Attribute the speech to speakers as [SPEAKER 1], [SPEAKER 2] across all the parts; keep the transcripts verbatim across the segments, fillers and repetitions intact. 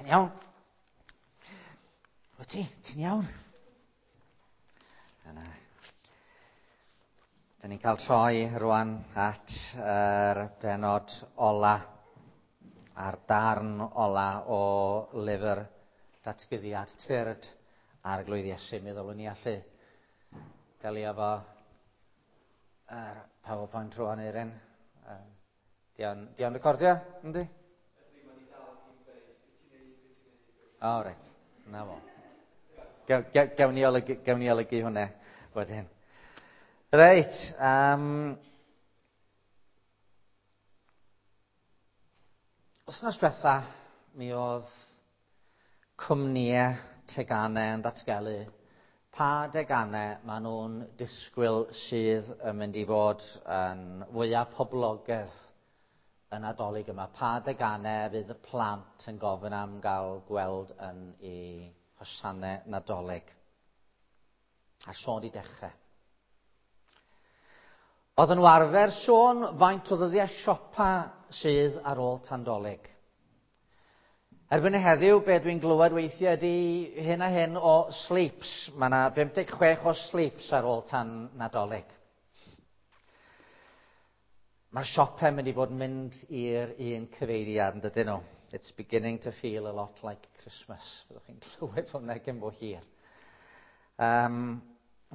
[SPEAKER 1] Ti'n iawn? Wyt ti? Ti'n iawn? Yna. Da ni'n cael troi rwan at yr benod ola a'r darn ola o lyfr Datguddiad Tyrd Arglwydd Iesu. Mi ddylwn ni allu delio efo yr PowerPoint rwan, Eirin. Di o'n, di o'n recordio, yndi? O, oh, reit. Na fo. Gewn ni olygu, gewn ni olygu hwnna wedyn. Reit. Um, wythnos diwetha, mi oedd cwmnïau teganau yn datgelu pa deganau maen nhw'n disgwyl sydd yn mynd i fod yn fwyaf poblogaidd y Nadolig yma. Pa deganau fydd y plant yn gofyn am gael gweld yn eu hosanau Nadolig. A sôn di dechrau. Oedd nhw arfer sôn faint o ddyddiau siopa sydd ar ôl Tandolig. Erbyn heddiw, be dwi'n glywed weithiau ydy hyn a hyn o sleeps. Mae yna bum deg chwech o sleeps ar ôl tan Nadolig. Mae'r siopau mynd i fod yn mynd i'r un cyfeiriad, yn dydyn nhw? It's beginning to feel a lot like Christmas. Fyddwch chi'n clywed hwnna cyn bo hir. Um,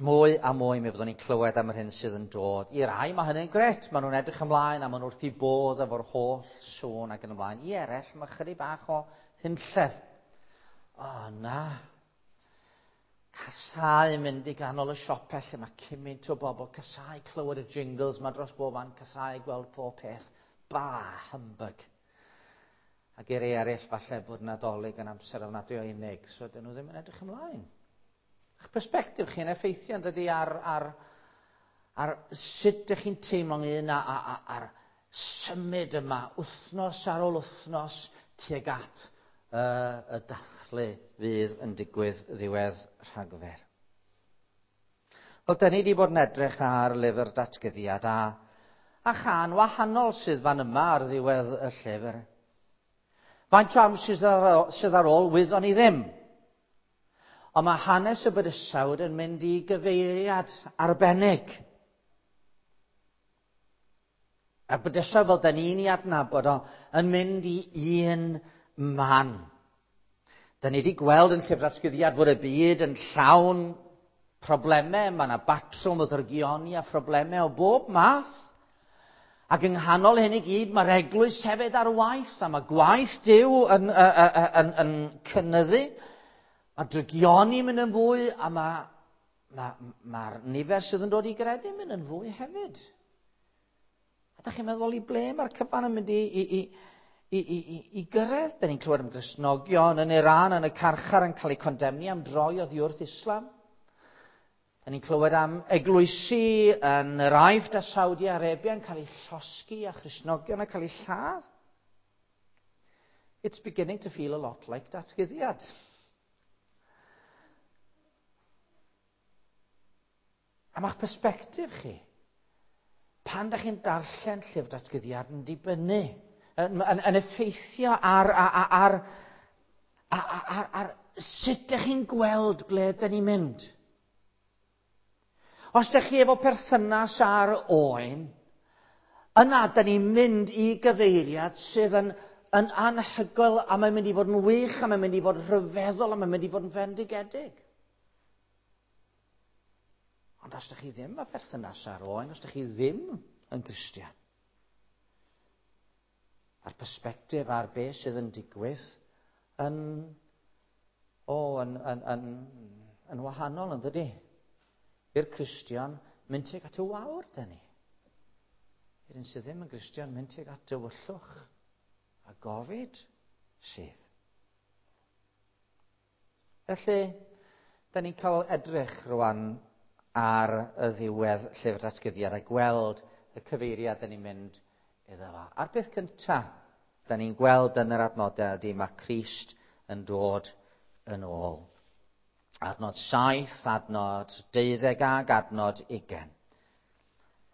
[SPEAKER 1] mwy a mwy mi fyddwn ni'n clywed am yr hyn sydd yn dod. I rai mae hynny'n gret, maen nhw'n edrych ymlaen a maen nhw wrth i bodd efo'r holl sŵn ac yn ymlaen. I eraill, mae chydig bach o hunllef. O, na. Casau mynd i ganol y siopau lle mae cymaint o bobl, casau clywed y jingles mae dros bob man, casau gweld pob peth. Ba, humbug. Ac i'r eraill falle bod Nadolig yn amser ofnadwy o unig, so dyn nhw ddim yn edrych ymlaen. Eich perspectif chi'n effeithio yn dydi ar, ar, ar sut ydych chi'n teimlo ynglyn â, a, a, ar symud yma, wythnos ar ôl wythnos tuag at uh, y dathlu fydd yn digwydd ddiwedd Rhagfyr. Wel, da ni wedi bod yn edrych ar lyfr Datguddiad a, a chan wahanol sydd fan yma ar ddiwedd y llyfr. Faint o amser sydd ar, sydd ar ôl, wyddon ni ddim. Ond mae hanes y bydysawd yn mynd i gyfeiriad arbennig. A bydysawd fel da ni'n ei adnabod o yn mynd i un man. Da ni wedi gweld yn llyfr Datguddiad fod y byd yn llawn problemau. Mae yna batrwm o ddrygioni a phroblemau o bob math. Ac yng nghanol hyn i gyd, mae'r eglwys hefyd ar waith, a mae gwaith Duw yn, yn, yn, yn cynyddu. Mae drygioni mynd yn fwy, a mae'r ma, ma, ma nifer sydd yn dod i gredu mynd yn fwy hefyd. A da chi'n meddwl i ble mae'r cyfan yn mynd i, i, i, i, i, i, i gyrraedd? Da ni'n clywed am Gristnogion yn Iran, yn y carchar, yn cael eu condemni am droi oddi wrth Islam. Da ni'n clywed am eglwysi yn yr Aifft a Saudi Arabia yn cael eu llosgi a Christnogion yn cael eu lladd. It's beginning to feel a lot like Datguddiad. A ma'ch perspectif chi, pan da chi'n darllen llyfr Datguddiad yn dibynnu, yn, yn, yn effeithio ar, ar, ar, ar, ar, ar sut da chi'n gweld ble da ni'n mynd. Os da chi efo perthynas ar oen, yna da ni'n mynd i gyfeiriad sydd yn, yn anhygoel a mae'n mynd i fod yn wych a mae'n mynd i fod yn rhyfeddol a mae'n mynd i fod yn fendigedig. Ond os da chi ddim â perthynas ar oen, os da chi ddim yn Gristion, a'r perspectif ar beth sydd yn digwydd yn, o, yn, yn, yn, yn wahanol, yn dydi? I'r Cristion, mynd tuag at y wawr, da ni. I'r un sydd ddim yn Gristion, mynd tuag at dywyllwch a gofid sydd. Felly, da ni'n cael edrych rwan ar y ddiwedd llyfr Datguddiad a gweld y cyfeiriad da ni'n mynd iddo fo. A'r peth cyntaf da ni'n gweld yn yr adnodau ydy mae Crist yn dod yn ôl. Adnod saith, adnod deuddeg ag adnod ugain.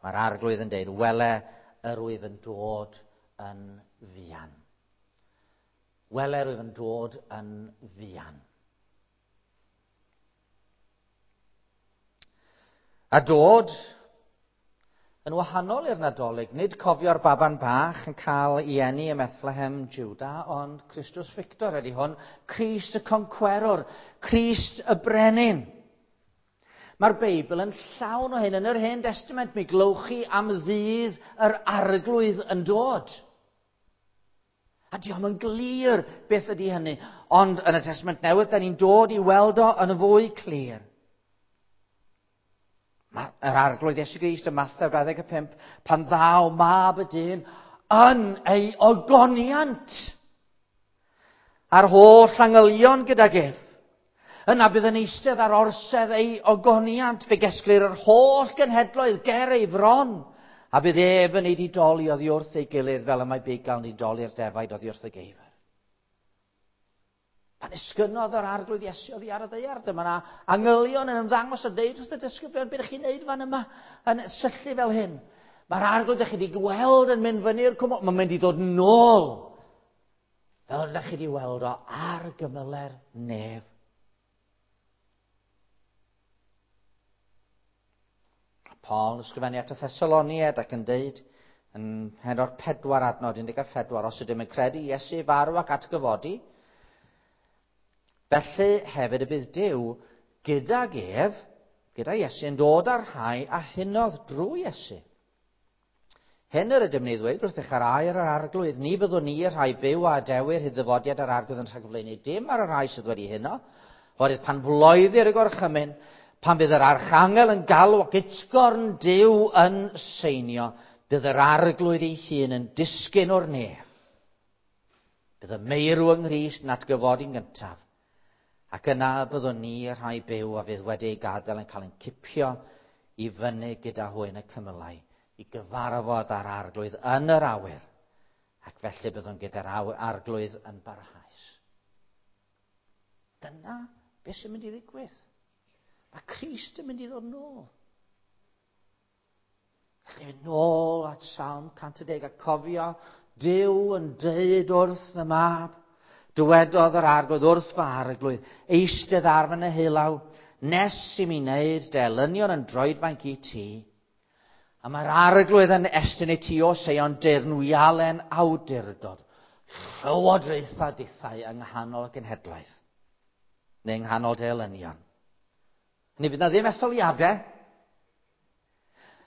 [SPEAKER 1] Mae'r Arglwydd yn deud, wele yr wyf yn dod yn fuan. Wele rwyf yn dod yn fuan. A dod yn wahanol i'r Nadolig, nid cofio'r baban bach yn cael ei eni ym Methlehem, Juda, ond Christus Victor ydy hwn, Crist y Concwerwr, Crist y Brenin. Mae'r Beibl yn llawn o hyn. Yn yr Hen Testament, mi glywch chi am ddydd yr Arglwydd yn dod. A diolch yn glir beth ydy hynny. Ond yn y Testament Newydd, da ni'n dod i weld o yn fwy clir. Mae'r Arglwydd Iesu Grist ym Mathew dau ddeg pump, pan ddaw mab y dyn yn ei ogoniant a'r holl angylion gydag ef. Yna bydd yn eistedd ar orsedd ei ogoniant, fe gesglir yr holl genhedloedd ger ei fron, a bydd ef yn ei didoli oddi wrth ei gilydd fel y mae bugail yn didoli'r defaid oddi wrth y geifr. Pan esgynodd yr Arglwydd Iesu oddi ar y ddaear, dyma na angylion yn ymddangos a deud wrth y disgyblion, beth ydych chi'n neud fan yma yn syllu fel hyn? Mae'r Arglwydd ydych chi wedi gweld yn mynd fyny'r cwm, mae'n mynd i ddod nôl, fel ydych chi wedi weld o ar gymyle'r nef. Paul yn ysgrifennu at y Thessaloniaid ac yn deud yn pennod pedwar adnod un deg a phedwar, os ydym yn credu Iesu farw ac atgyfodi, felly hefyd y bydd Duw gydag ef, gyda Iesu, yn dod â'r rhai a hunodd drwy Iesu. Hyn yr ydym ni ddweud wrthych ar air yr Arglwydd, ni fyddwn ni y rhai byw a adewir hyd ddyfodiad yr Arglwydd yn rhagflaenu dim ar y rhai sydd wedi huno, oherwydd pan floeddir y gorchymyn, pan bydd yr archangel yn galw ac utgorn Duw yn seinio, bydd yr Arglwydd ei hun yn disgyn o'r nef. Bydd y meirw yng Nghrist yn atgyfodi'n gyntaf. Ac yna byddwn ni y rhai byw a fydd wedi ei gadael yn cael ein cipio i fyny gyda hwy yn y cymylau, i gyfarfod â'r Arglwydd yn yr awyr, ac felly byddwn gyda'r Arglwydd yn barhaus. Dyna beth sy'n mynd i ddigwydd. Mae Crist yn mynd i ddod nôl. Felly mynd nôl at Salm cant a deg a cofio Duw yn deud wrth y mab, dywedodd yr Arglwydd wrth fy Arglwydd, eistedd ar fy neheullaw, nes i mi wneud dy elynion yn droedfainc i ti. A mae'r Arglwydd yn estyn i ti o Seion deyrnwialen awdurdod, llywodraetha dithau yng nghanol y genhedlaeth, neu yng nghanol dy elynion. Ni fydd na ddim etholiadau,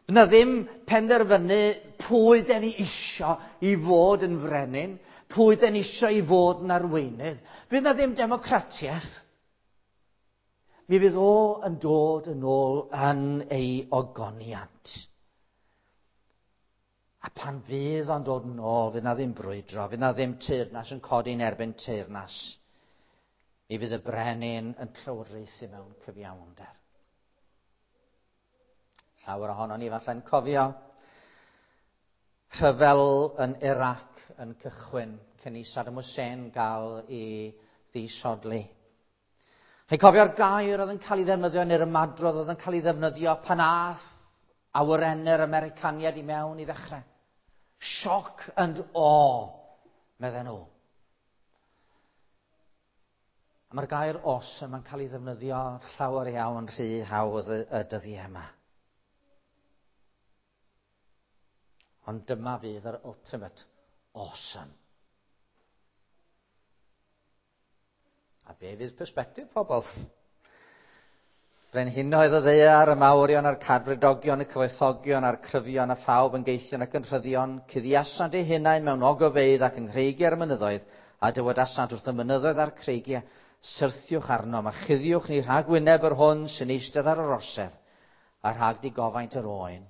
[SPEAKER 1] fydd na ddim penderfynu pwy den ni isio i fod yn frenin, pwy den ni isio i fod yn arweinydd. Fydd na ddim democratiaeth. Mi fydd o yn dod yn ôl yn ei ogoniant. A pan fydd o'n dod yn ôl, fydd na ddim brwydro, fydd na ddim teyrnas yn codi'n erbyn teyrnas. Mi fydd y brenin yn llywodraethu mewn cyfiawnder. Llawer ohonon ni falle'n cofio rhyfel yn Iraq yn cychwyn cyn i Saddam Hussein gael ei ddisodli. Chi'n cofio'r gair oedd yn cael ei ddefnyddio neu'r ymadrodd oedd yn cael ei ddefnyddio pan ath awyrennau'r Americaniaid i mewn i ddechrau. Shock and awe, medden nhw. A mae'r gair awesome yn cael ei ddefnyddio llawer iawn rhy hawdd y, y dyddiau yma. Ond dyma fydd yr ultimate awesome. A be fydd perspective pobl? Brenhinoedd y ddaear, y mawrion a'r cadfridogion, y cyfoethogion a'r cryfion a phawb yn geithion ac yn rhyddion, cuddiasant eu hunain mewn ogofeydd ac yng nghreigiau'r mynyddoedd, a dywedasant wrth y mynyddoedd a'r creigiau, syrthiwch arnom a chuddiwch ni rhag wyneb yr hwn sy'n eistedd ar yr orsedd, a rhag digofaint yr oen,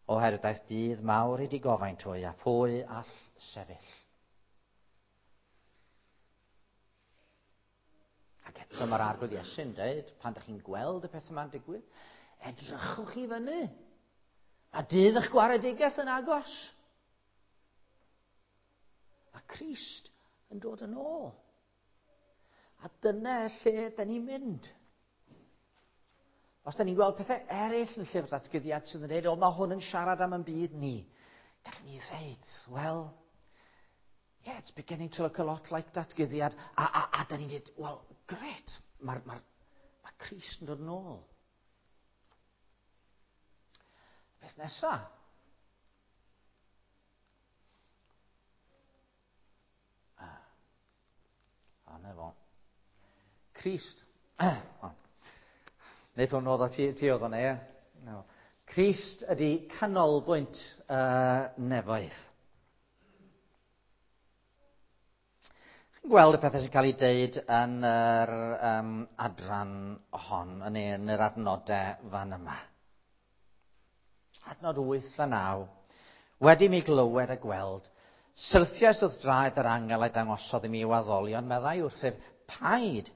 [SPEAKER 1] oherwydd daeth dydd mawr i digofaint hwy, a phwy all sefyll. Ac eto mae'r Arglwydd Iesu'n dweud, pan ydych chi'n gweld y peth yma'n digwydd, edrychwch i fyny. Mae dydd eich gwaredigaeth yn agos. Mae Crist yn dod yn ôl. A dyna lle da ni'n mynd. Os da ni'n gweld pethau eraill yn llyfr datguddiad sydd yn dweud, o, mae hwn yn siarad am yn byd ni, gallwn ni ddweud, wel, Yeah, it's beginning to look a lot like datguddiad. A, a, a da ni'n dweud, well, great, mae'r ma, ma Crist yn dod nôl. Beth nesa? Ah, a na fo. Crist. Oh. Nid hwn oedd o ti, ti oedd o'n e. No. Crist ydy canolbwynt uh, nefoedd. Chi'n gweld y pethau sy'n cael ei deud yn yr um, adran hon, yn, yn yr adnodau fan yma. Adnod wyth a naw. Wedi mi glywed a gweld, syrthiais wrth draed yr angel a'i dangosodd i mi i'w addolion, meddai wrthyf, paid,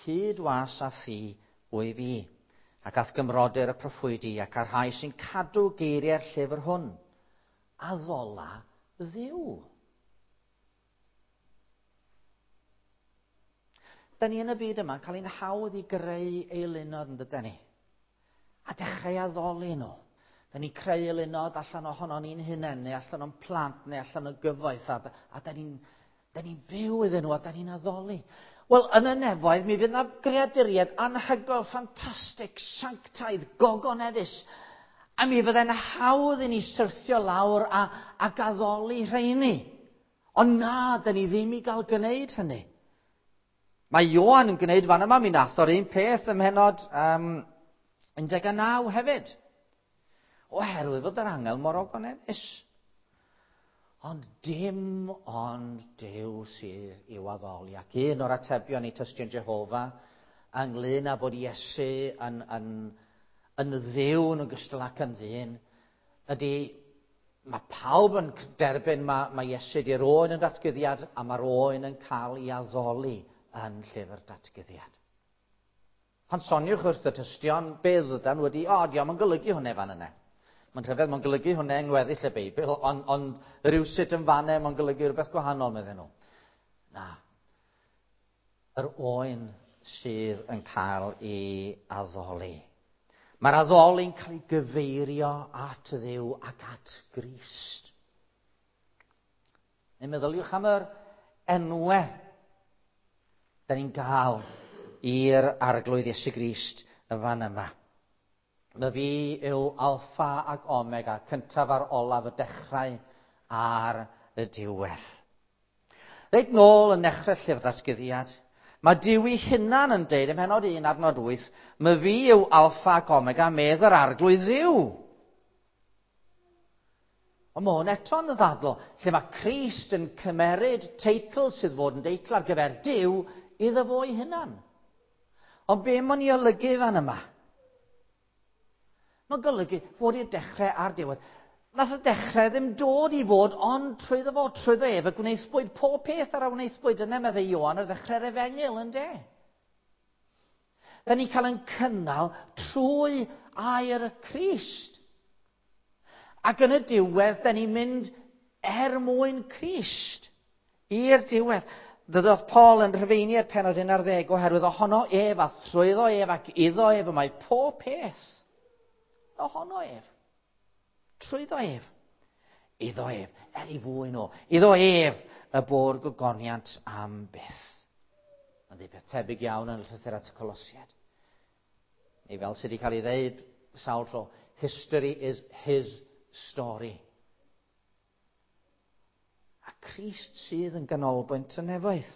[SPEAKER 1] cyd-was a thi wyf i, ac ath gymrodyr y proffwydi ac a'r rhai sy'n cadw geiriau'r llyfr hwn. Addola Dduw. Da ni yn y byd yma yn cael ein hawdd i greu eilunod yn dydyn ni. A dechrau addoli nhw. Da ni'n creu eilunod allan ohono ni'n hunain, neu allan o'n plant, neu allan o'n gyfoeth, a, a da ni'n da ni'n byw iddyn nhw, a da ni'n addoli. Wel, yn y nefoedd, mi fydd yna greaduriaid anhygoel, ffantastig, sanctaidd, gogoneddus. A mi fydde'n hawdd i ni syrthio lawr a, ac addoli rheini. Ond na, da ni ddim i gael gwneud hynny. Mae Ioan yn gwneud fan yma, mi nath o'r un peth ym mhennod um, un deg naw hefyd. Oherwydd fod yr angel mor ogoneddus. Ond dim ond Duw sydd i'w addoli. Ac un o'r atebion i Tystion Jehofa ynglyn â bod Iesu yn, yn, yn Dduw yn ogystal ac yn ddyn, ydy mae pawb yn derbyn mae, mae Iesu di'r oen yn datguddiad a mae'r oen yn cael ei addoli yn llyfr datguddiad. Pan soniwch wrth y tystion, be ddydan wedi, o, diolch yn golygu hwnna fan yna. Mae'n rhyfedd, mae'n golygu hwnna yng ngweddill y Beibl, ond on, rhywsut yn fanne, mae'n golygu rhywbeth gwahanol, medden nhw. Na. Yr oen sydd yn cael ei addoli. Mae'r addoli'n cael ei gyfeirio at Dduw ac at Grist. Neu meddyliwch am yr enwau da ni'n gael i'r Arglwydd Iesu Grist y fan yma. Na fi yw alffa ac omega, cyntaf a'r olaf, y dechrau a'r y diwedd. Reit nôl yn nechrau llyfr datguddiad, mae Duw ei hunan yn deud ym mhennod un adnod wyth, mae fi yw alffa ac omega, medd yr Arglwydd Dduw. Ond mae hwn eto'n ddadl, lle mae Crist yn cymeryd teitl sydd fod yn deitl ar gyfer Duw iddo fo ei hunan. Ond be mae'n ei olygu fan yma? Mae'n golygu fod i'r dechrau a'r diwedd. Nath y dechrau ddim dod i fod, ond trwyddo fo, trwyddo ef, y gwneithbwyd pob peth ar a wneithbwyd yna, meddai Ioan ar ddechrau'r efengyl, ynde? Da ni'n cael ein cynnal trwy air y Crist. Ac yn y diwedd, da ni'n mynd er mwyn Crist i'r diwedd. Ddydodd Paul yn Rhufeiniaid pennod un ar ddeg, oherwydd ohono ef a thrwyddo ef ac iddo ef y mae pob peth. Ohono ef, trwyddo ef, iddo ef, er ei fwyn o, iddo ef y bo'r gogoniant am byth. Mae'n dweud peth tebyg iawn yn y llythyr at y Colosiaid. Neu fel sydd wedi cael ei ddeud sawl tro, history is his story. A Crist sydd yn ganolbwynt y nefoedd.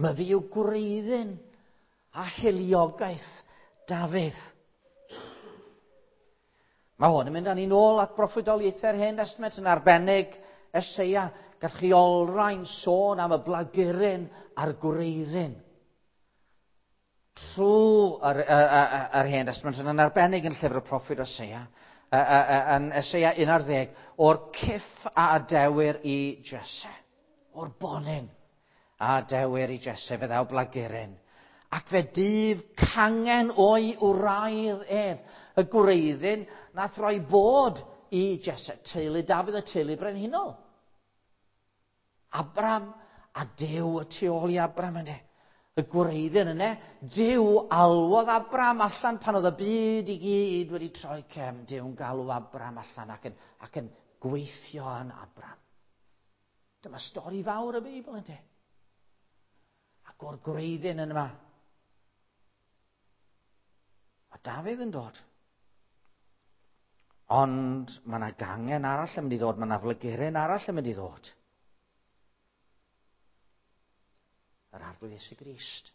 [SPEAKER 1] Mae fi yw gwreiddyn a hiliogaeth Dafydd. Mae hwn yn mynd â ni nôl at broffwydoliaethau'r Hen Testament yn arbennig Eseia. Gall chi olrhain sôn am y blaguryn a'r gwreiddyn. Trwy yr, yr, yr, yr Hen Testament yn arbennig yn llyfr y proffwyd Eseia, yn Eseia un ar ddeg, o'r cyff a adewir i Jesse, o'r bonyn a adewir i Jesse, fe ddaw blaguryn. Ac fe dyf cangen o'i wraidd ef, y gwreiddyn nath roi bod i Jesse, teulu Dafydd, y teulu brenhinol. Abram a Duw y tu ôl i Abram ynddo. Y gwreiddyn yna, Duw alwodd Abram allan pan oedd y byd i gyd wedi troi cefn. Duw'n galw Abram allan ac yn, ac yn gweithio yn Abram. Dyma stori fawr y Beibl, ynddi? Ac o'r gwreiddyn yn yma, mae Dafydd yn dod. Ond mae yna gangen arall yn mynd i ddod, mae yna flyguryn arall yn mynd i ddod. Yr Arglwydd Iesu Grist.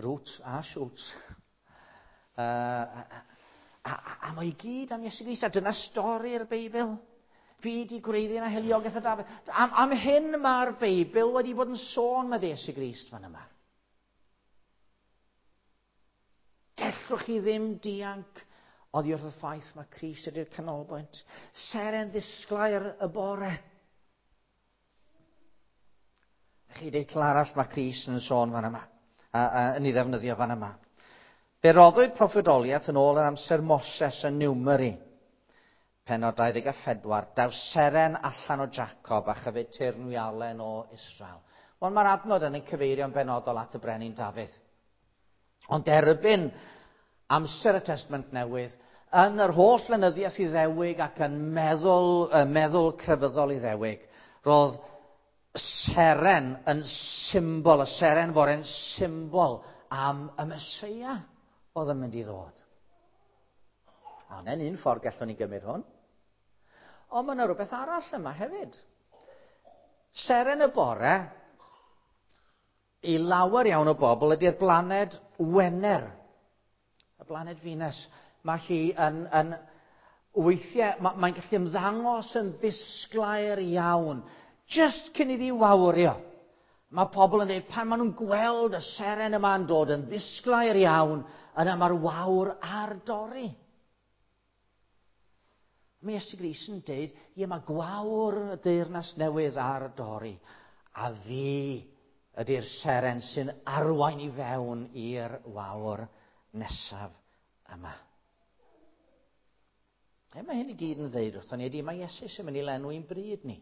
[SPEAKER 1] Roots a shoots. Uh, a, a, a, a mae i gyd am Iesu Grist, a dyna stori'r Beibl. Fi di gwreiddyn a hiliogaeth y Dafydd. Am, am hyn mae'r Beibl wedi bod yn sôn mae Iesu Grist fan yma. Gellwch chi ddim dianc oddi wrth y ffaith mae Crist ydy'r canolbwynt. Seren ddisglair y bore. Chi deitl arall mae Crist yn sôn fan yma, a, a, yn ei ddefnyddio fan yma. Fe roddwyd proffwydoliaeth yn ôl yn amser Moses yn Numeri, pennod dau ddeg a phedwar, daw seren allan o Jacob a chyfyd teyrnwialen o Israel. Wel, mae'r adnod yn cyfeirio'n benodol at y brenin Dafydd. Ond erbyn amser y Testament Newydd, yn yr holl lenyddiaeth Iddewig ac yn meddwl, meddwl crefyddol Iddewig, roedd seren yn symbol, y seren fore'n symbol am y Meseia oedd yn mynd i ddod. A hwnna'n un ffordd gallwn ni gymryd hwn. Ond mae yna rhywbeth arall yma hefyd. Seren y bore, i lawer iawn o bobl, ydy'r blaned Wener. Y blaned Venus. Mae hi yn, yn weithiau, mae, mae'n gallu ymddangos yn ddisglair iawn. Just cyn iddi wawrio. Mae pobl yn dweud, pan maen nhw'n gweld y seren yma'n dod yn ddisglair iawn, yna mae'r wawr ar dorri. Mae Iesu Grist yn dweud, ie, mae gwawr y deyrnas newydd ar dorri, a fi ydy'r seren sy'n arwain i fewn i'r wawr nesaf yma. E, mae hyn i gyd yn dweud wrthon ni ydy, mae Iesu sy'n mynd i lenwi'n bryd ni.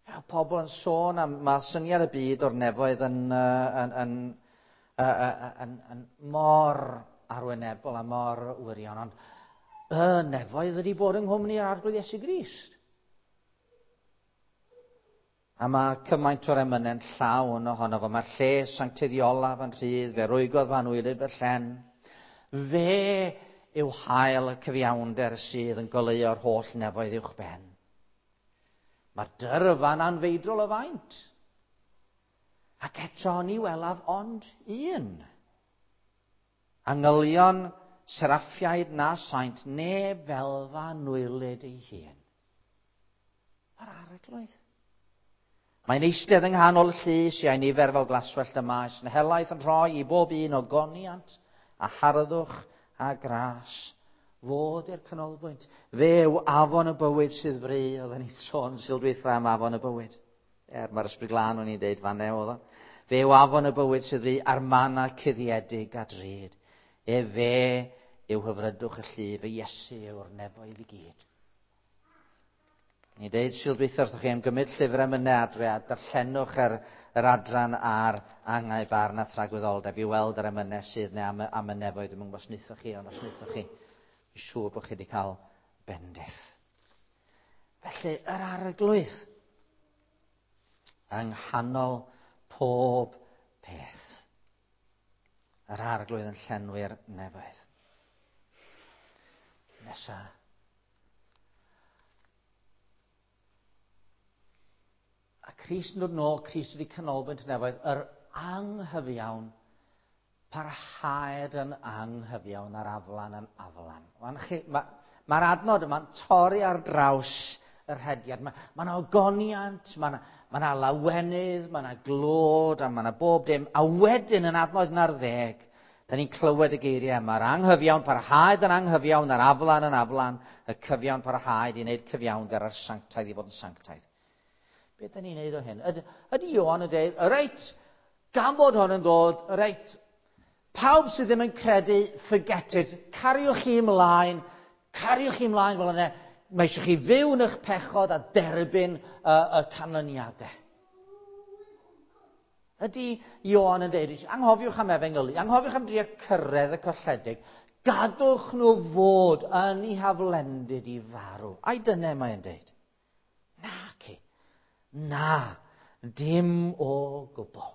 [SPEAKER 1] Ja, pobl yn sôn am, mae syniad y byd o'r nefoedd yn, yn, yn, yn, yn, yn mor arwynebol a mor wirion, ond y nefoedd ydy bod yng nghwmni yr Arglwydd Iesu Grist. A mae cymaint o'r emynau'n llawn ohono fo. Mae'r lle sancteiddiolaf yn rhydd, fe rwygodd fy anwylyd fy llen. Fe yw hael y cyfiawnder sydd yn goleuo'r holl nefoedd uwch ben. Mae'r dyrfa'n anfeidrol o faint. Ac eto ni welaf ond un. Angylion, seraffiaid na saint, neb fel fy anwylyd ei hun. Mae'r Arglwydd. Mae'n eistedd yng nghanol y llys, iau nifer fel glaswellt y maes, yn helaeth yn rhoi i bob un o goniant a harddwch a gras. Fod i'r canolbwynt. Fe yw afon y bywyd sydd fri, oedden ni'n sôn sil dwytha am afon y bywyd. Er, mae'r Ysbryd Glân o'n i'n deud fan oedd o. Fe yw afon y bywyd sydd fri a'r mana cuddiedig a drud. E fe yw hyfrydwch y llu, fe Iesu yw'r nefoedd i gyd. Ni'n deud sil dwytha wrthych chi am gymryd llyfr emynau adre a darllenwch yr, yr adran ar angau barn a thragwyddoldeb i weld yr emynau sydd neu am, am y nefoedd. Dwi'm yn gwybod os wnaethoch chi, ond os wnaethoch chi, dwi'n siŵr bod chi wedi cael bendith. Felly, yr Arglwydd yng nghanol pob peth. Yr Arglwydd yn llenwi'r nefoedd. Nesa. A Crist yn dod nôl, Crist wedi canolbwynt y nefoedd, yr anghyfiawn parhaed yn anghyfiawn a'r aflan yn aflan. Mae'r ma, ma adnod yma'n torri ar draws y rhediad. Mae ma 'na ogoniant, mae 'na ma 'na lawenydd, mae 'na glod, a mae 'na bob dim. A wedyn yn adnod un ar ddeg, da ni'n clywed y geiriau yma. Mae'r anghyfiawn parhaed yn anghyfiawn, a'r aflan yn aflan, y cyfiawn parhaed i wneud cyfiawnder a'r sanctaidd i fod yn sanctaidd. Beth da ni'n neud o hyn? Ydy, ydy Ioan yn dweud, reit, gan bod hwn yn dod, reit, pawb sydd ddim yn credu, forget it, cariwch chi ymlaen, cariwch chi ymlaen fel yna, mae eisiau chi fyw yn eich pechod a derbyn y, y canlyniadau. Ydy Ioan yn dweud, anghofiwch am efengylu, anghofiwch am drio cyrraedd y colledig, gadwch nhw fod yn eu haflendid i farw. Ai dyna mae'n dweud? Naci. Na, dim o gwbl.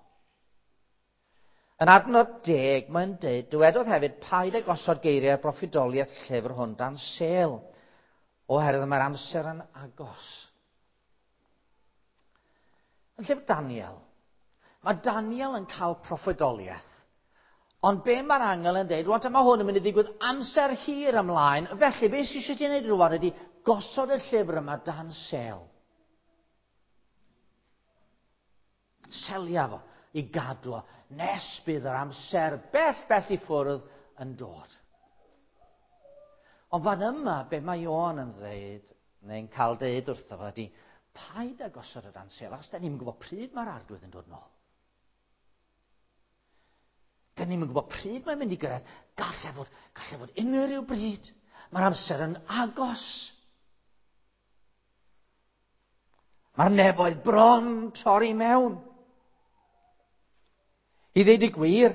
[SPEAKER 1] Yn adnod deg, mae'n dweud, dywedodd hefyd, paid â gosod geiriau broffwydoliaeth llyfr hwn dan sêl, oherwydd mae'r amser yn agos. Yn llyfr Daniel, mae Daniel yn cael proffwydoliaeth. Ond be mae'r angel yn dweud, rwan mae hwn yn mynd i ddigwydd amser hir ymlaen, felly be sydd eisiau ti wneud rwan ydy gosod y llyfr yma dan sêl. Selia fo i gadw o, nes bydd yr amser bell bell i ffwrdd yn dod. Ond fan yma, be mae Ioan yn dweud, neu'n cael deud wrtho fo, ydy paid â gosod o dan sêl, achos da ni'n gwybod pryd mae'r arglwydd yn dod nôl. Da ni'n gwybod pryd mae'n mynd i gyrraedd. Gallai fod, gallai fod unrhyw bryd. Mae'r amser yn agos. Mae'r nefoedd bron torri mewn. I ddeud y gwir,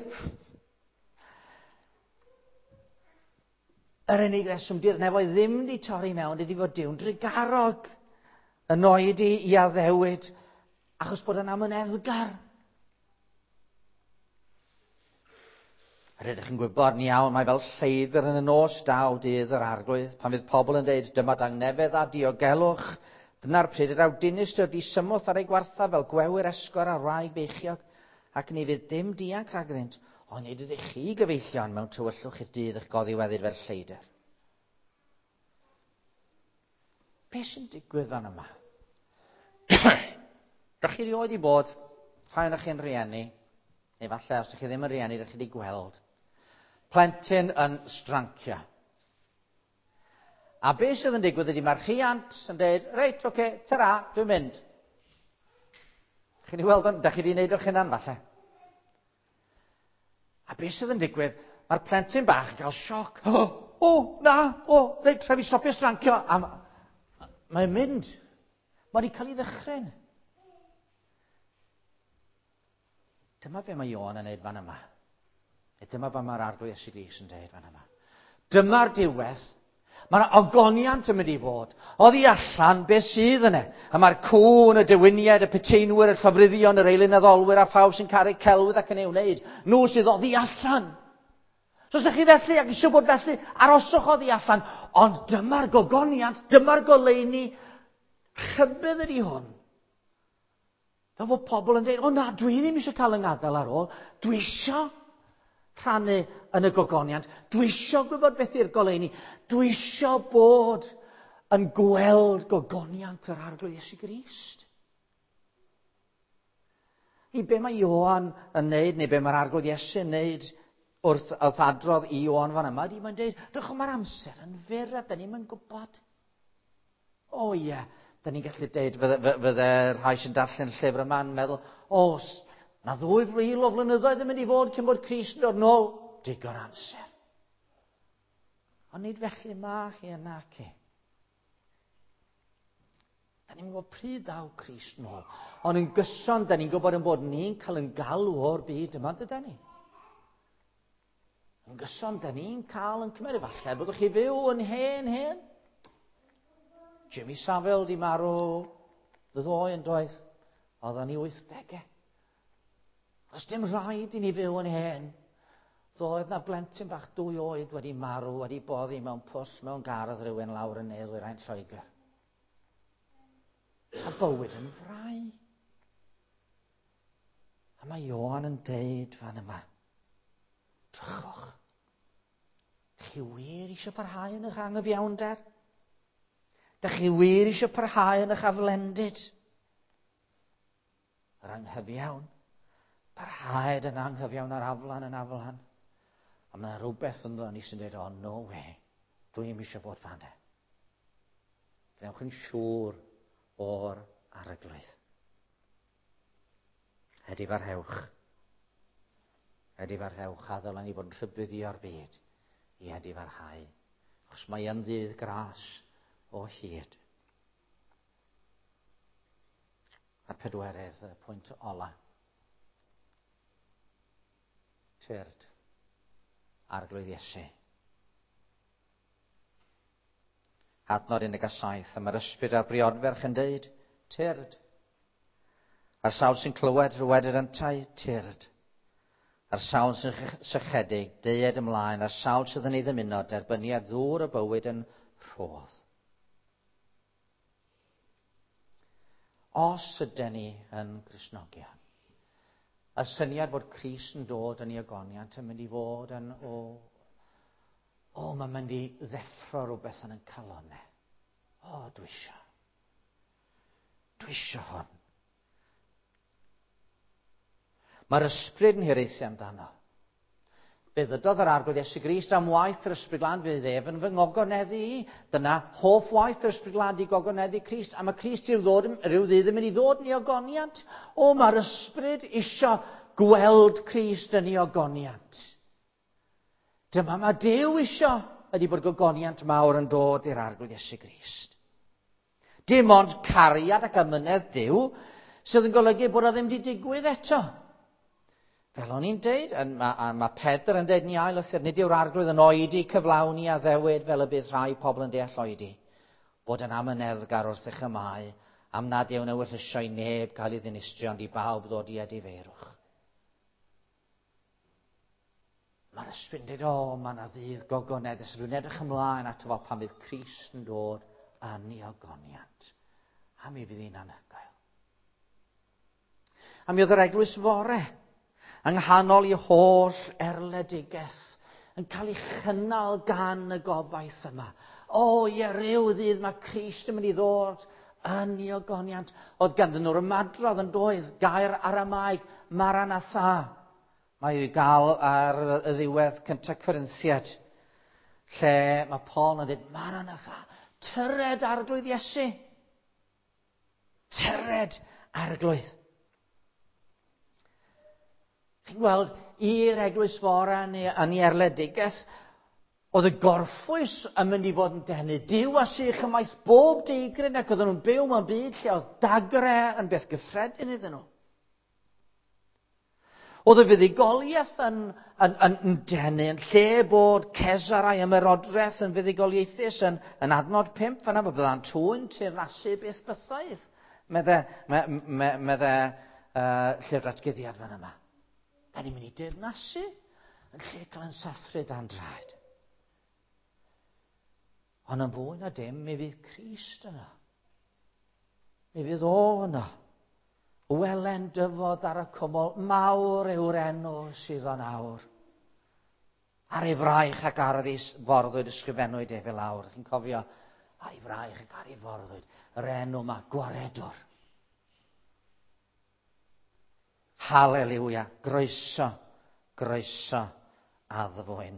[SPEAKER 1] yr unig reswm di'r nefoedd ddim di torri mewn ydy fod Duw'n drugarog yn oedi i addewid, achos bod yn amyneddgar. Rydych chi'n gwybod yn iawn, mae fel lleidr yn y nos daw dydd yr arglwydd, pan fydd pobl yn dweud dyma dangnefedd a diogelwch, dyna'r pryd yr aw dinistr disymwth ar ei gwartha fel gwewyr esgor ar wraig beichiog, ac ni fydd dim dianc rhagddynt, ond nid ydych chi gyfeillion mewn tywyllwch i'r dydd eich goddiweddyd fel lleidr. Be sy'n digwydd fan yma? Dych chi erioed i bod, rhai o'ch chi'n rieni, neu falle os ydych chi ddim yn rieni, dych chi wedi gweld, plentyn yn strancio. A be sydd yn digwydd ydy mae'r rhiant yn dweud, reit, oce, okay, tara, dwi'n mynd. Chi'n ei weld o'n, dych chi wedi gwneud o'ch hunan falle. A be sydd yn digwydd, mae'r plentyn bach yn cael sioc. O, o, na, o, reit, rhaid fi stopio strancio. A mae'n mynd. Mae wedi cael ei ddychryn. Dyma be mae Ioan yn neud fan yma. E dyma be mae'r Arglwydd Iesu Grist yn dweud fan yma. Dyma'r diwedd. Mae'r ogoniant yn mynd i fod. Oddi allan be sydd yna. A mae'r cŵn, y dewiniaid, y peteinwyr, y llofruddion, yr eilunaddolwyr a phawb sy'n caru celwydd ac yn ei wneud. Nhw sydd oddi allan. So os ydych chi felly ac eisiau bod felly, aroswch oddi allan. Ond dyma'r gogoniant, dyma'r goleuni. Rhybudd ydy hwn. Fel fod pobl yn dweud, o na, dwi ddim eisiau cael yng ngadael ar ôl. Dwi eisiau rhannu yn y gogoniant. Dwi eisiau gwybod beth yw'r goleuni. Dwi eisiau bod yn gweld gogoniant yr Arglwydd Iesu Grist. I be mae Ioan yn neud, neu be mae'r Arglwydd Iesu yn neud wrth, wrth adrodd i Ioan fan yma, di mae'n deud, drychwch, mae'r amser yn fyr a da ni'm yn gwybod. O ie, yeah, da ni'n gallu deud, fydde, fydde rhai sy'n darllen llyfr yma'n meddwl, o, na ddwy fil o flynyddoedd yn mynd i fod cyn bod Crist yn dod nôl. Digon amser. Ond nid felly ma chi yna ci. Da ni'n gwybod pryd daw Crist nôl. Ond yn gyson, da ni'n gwybod yn bod ni'n cael yn galw o'r byd yma, dyda ni? Yn gyson, da ni'n cael yn cymryd. Falle byddwch chi fyw yn hen, hen. Jimmy Savile di marw ddoe yn doedd. Oedd o'n i wythdegau. Os dim rhaid i ni fyw yn hen. Ddoedd na blentyn bach dwy oed wedi marw, wedi boddi mewn pwll mewn gardd rhywun lawr yn ne-ddwyrain Lloegr. A bywyd yn frau. A mae Ioan yn deud fan yma, drychwch, dych chi wir eisiau parhau yn eich anghyfiawnder? Dych chi wir eisiau parhau yn eich aflendid? Yr anghyfiawn, parhaed yn anghyfiawn a'r aflan yn aflan. A mae yna rhywbeth ynddo ni sy'n dweud, oh no way, dwi'n eisiau bod fan e. Gwnewch yn siŵr o'r arglwydd. Edifarhewch. Edifarhewch, a ddylen ni fod yn rhybuddio'r byd i edifarhau. Achos mae yn ddydd gras o hyd. A'r pedwerydd, y pwynt ola. Tyrd, Arglwydd Iesu. Adnod un deg saith, a mae'r ysbryd a'r briodferch yn deud, tyrd. A'r sawl sy'n clywed, dyweded yntau, tyrd. A'r sawl sy'n sychedig, deued ymlaen. A'r sawl sydd yn ei ddymuno, derbyniad ddŵr y bywyd yn rhodd. Os ydyn ni yn Gristnogion, y syniad bod Crist yn dod yn ei ogoniant yn mynd i fod yn, o, o, mae'n mynd i ddeffro rhywbeth yn ein calonnau. O, dwi isio. Dwi isio hwn. Mae'r ysbryd yn hiraethu amdano. Fe ddydodd yr Arglwydd Iesu Grist am waith yr Ysbryd Glân, fydd ef yn fy ngogoneddu i. Dyna hoff waith yr Ysbryd Glân di gogoneddu Crist. A mae Crist i'w ddod, rhyw ddydd yn mynd i ddod yn ei ogoniant. O, mae'r ysbryd isio gweld Crist yn ei ogoniant. Dyma mae Duw isio ydy bod gogoniant mawr yn dod i'r Arglwydd Iesu Grist. Dim ond cariad ac amynedd Duw sydd yn golygu bod o ddim wedi digwydd eto. Fel o'n i'n deud, a, a mae Pedr yn deud yn ei ail lythyr, nid yw'r Arglwydd yn oedi cyflawni addewid fel y bydd rhai pobl yn deall oedi. Bod yn amyneddgar wrth eich ymau, am nad yw'n ewyllysio i neb gael ei ddinistrio, ond i bawb ddod i edifeirwch. Mae'r ysbryd yn dweud, o, mae yna ddydd gogoneddus. Dwi'n edrych ymlaen ato fo pan fydd Crist yn dod yn ei ogoniant. A mi fydd hi'n anhygoel. A mi oedd yr eglwys fore, yng nghanol i holl erledigaeth, yn cael ei chynnal gan y gobaith yma. O, ie, ryw ddydd mae Crist yn mynd i ddod yn ei ogoniant. Oedd ganddyn nhw'r ymadrodd yn doedd, gair Aramaeg, Maranatha. Mae i'w gael ar y ddiwedd cyntaf Corinthiad, lle mae Paul yn dweud, Maranatha, tyred Arglwydd Iesu. Tyred Arglwydd. Chi'n gweld, i'r eglwys fore yn ei erledigaeth, oedd y gorffwys yn mynd i fod yn denu. Duw a sych ymaith bob deigryn, ac oedden nhw'n byw mewn byd lle oedd dagre yn beth gyffredin iddyn nhw. Oedd y fuddugoliaeth yn, yn, yn, yn denu, yn lle bod Cesar a'i ymerodraeth yn fuddugoliaethus yn, yn adnod pump, fan'na bydda'n tŵyn teyrnasu beth bythaidd, medde, me, me, medde uh, llyfr atguddiad fan yma. Da ni'n mynd i deyrnasu yn lle cael yn sathru dan draed. Ond yn fwy na dim, mi fydd Crist yna. Mi fydd o yna. Welen dyfod ar y cwmwl, mawr yw'r enw sydd o'n awr. Ar ei fraich ac ar ei forddwyd ysgrifennwyd efe lawr. Chi'n cofio, ar ei fraich ac ar ei forddwyd, yr enw yma, Gwaredwr. Haleluia, groeso, groeso, addfwyn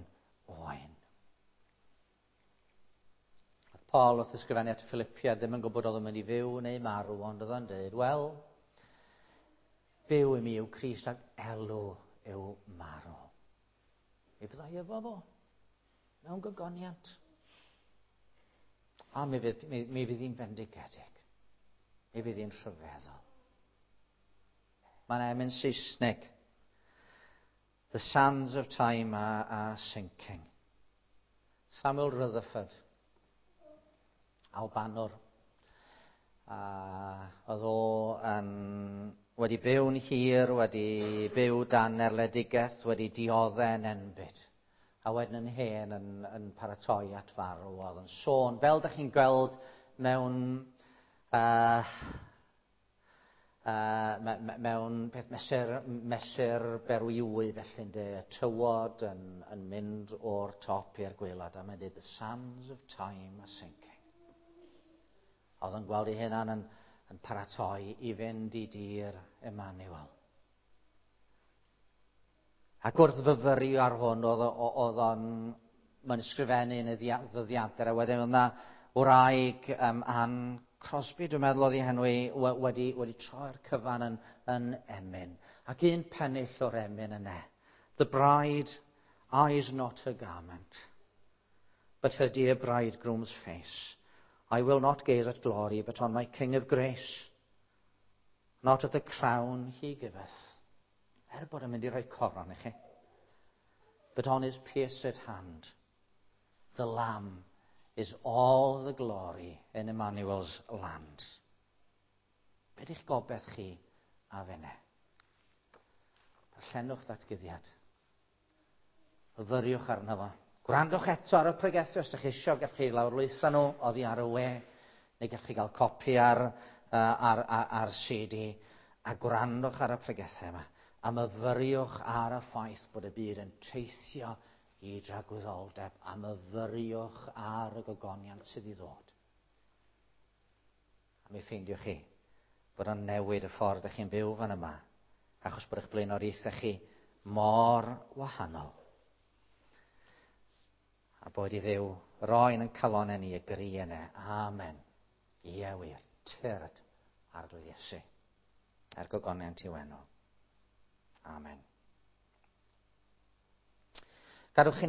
[SPEAKER 1] oen. Oedd Paul wrth ysgrifennu at Philippia ddim yn gwybod oedd o'n mynd i fyw neu marw, ond oedd o'n dweud, wel, byw i mi yw Crist ac elw yw marw. Mi fyddai efo fo, mewn gogoniant. A mi fydd, mi, mi fydd hi'n fendigedig. Mi fydd hi'n rhyfeddol. Mae'n emyn Saesneg. The sands of time are, are sinking. Samuel Rutherford, Albanwr. A oedd o yn, wedi byw'n hir, wedi byw dan erledigaeth, wedi dioddef yn enbyd. A wedyn yn hen yn, yn paratoi at farw. Oedd yn sôn, fel dych chi'n gweld mewn... Uh, Uh, me, me, mewn peth mesur, mesur berwiwy felly ynde, y tywod yn, yn mynd o'r top i'r gwaelod, a mae'n dweud, the sands of time are sinking. Oedd yn gweld ei hunan yn, yn paratoi i fynd i dir Emmanuel. Ac wrth fyfyrio ar hwn, oedd, oedd o'n mae'n ysgrifennu yn y ddyddiadur, a wedyn oedd yna wraig um, Ann Crosby, dwi'n meddwl oedd ei henw i, wedi, wedi troi'r cyfan yn, yn emyn. Ac un pennill o'r emyn yna. The bride eyes not her garment, but her dear bridegroom's face. I will not gaze at glory, but on my King of grace. Not at the crown he giveth. Er bod yn mynd i roi coron i chi. But on his pierced hand, the Lamb is all the glory in Emmanuel's land. Be di'ch gobeith chi a fenne. Darllenwch ddatguddiad. Myfyriwch arno fo. Gwrandwch eto ar y pregethu os ydych chi eisiau, gallwch chi lawrlwytho nhw oddi ar y we, neu gallwch chi gael copi ar, uh, ar, ar, ar C D, a gwrandwch ar y pregethau yma, a myfyriwch ar y ffaith bod y byd yn teithio i dragwyddoldeb, a myfyriwch ar y gogoniant sydd i ddod. A mi ffeindiwch chi bod o'n newid y ffordd ydych chi'n byw fan yma, achos bod eich blaenoriaethau chi mor wahanol. A boed i Dduw roi yn ein calonau ni y gri yna. Amen. Ie wir. Tyrd, Arglwydd Iesu. Er gogoniant i'w enw. Amen. Gadwch i